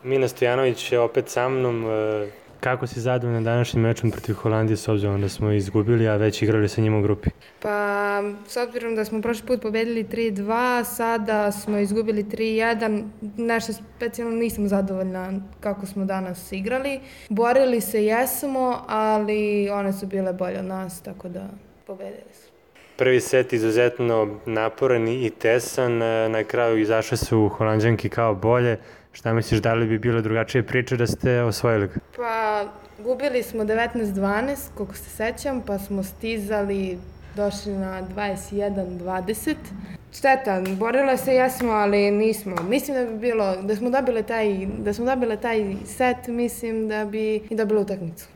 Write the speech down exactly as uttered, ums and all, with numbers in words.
Mina Stojanović je opet sa mnom. Kako si zadovoljan današnjim mečom protiv Holandije s obzirom da smo izgubili, a već igrali sa njima u grupi? Pa, s obzirom da smo prošli put pobedili tri dva, sada smo izgubili tri jedan, nešto specijalno nisam zadovoljna kako smo danas igrali. Borili se jesmo, ali one su bile bolje od nas, tako da pobedili su. Prvi set izuzetno naporan i tesan, na kraju izašle su Holanđanki kao bolje. Šta misliš, da li bi bilo drugačije priče da ste osvojili ga? Pa, gubili smo devetnaest dvanaest, koliko se sećam, pa smo stizali, došli na dvadeset jedan dvadeset. Šteta, borile se jesmo, ali nismo. Mislim da bi bilo, da smo dobile taj, da smo dobile taj set, mislim da bi i dobile utakmicu.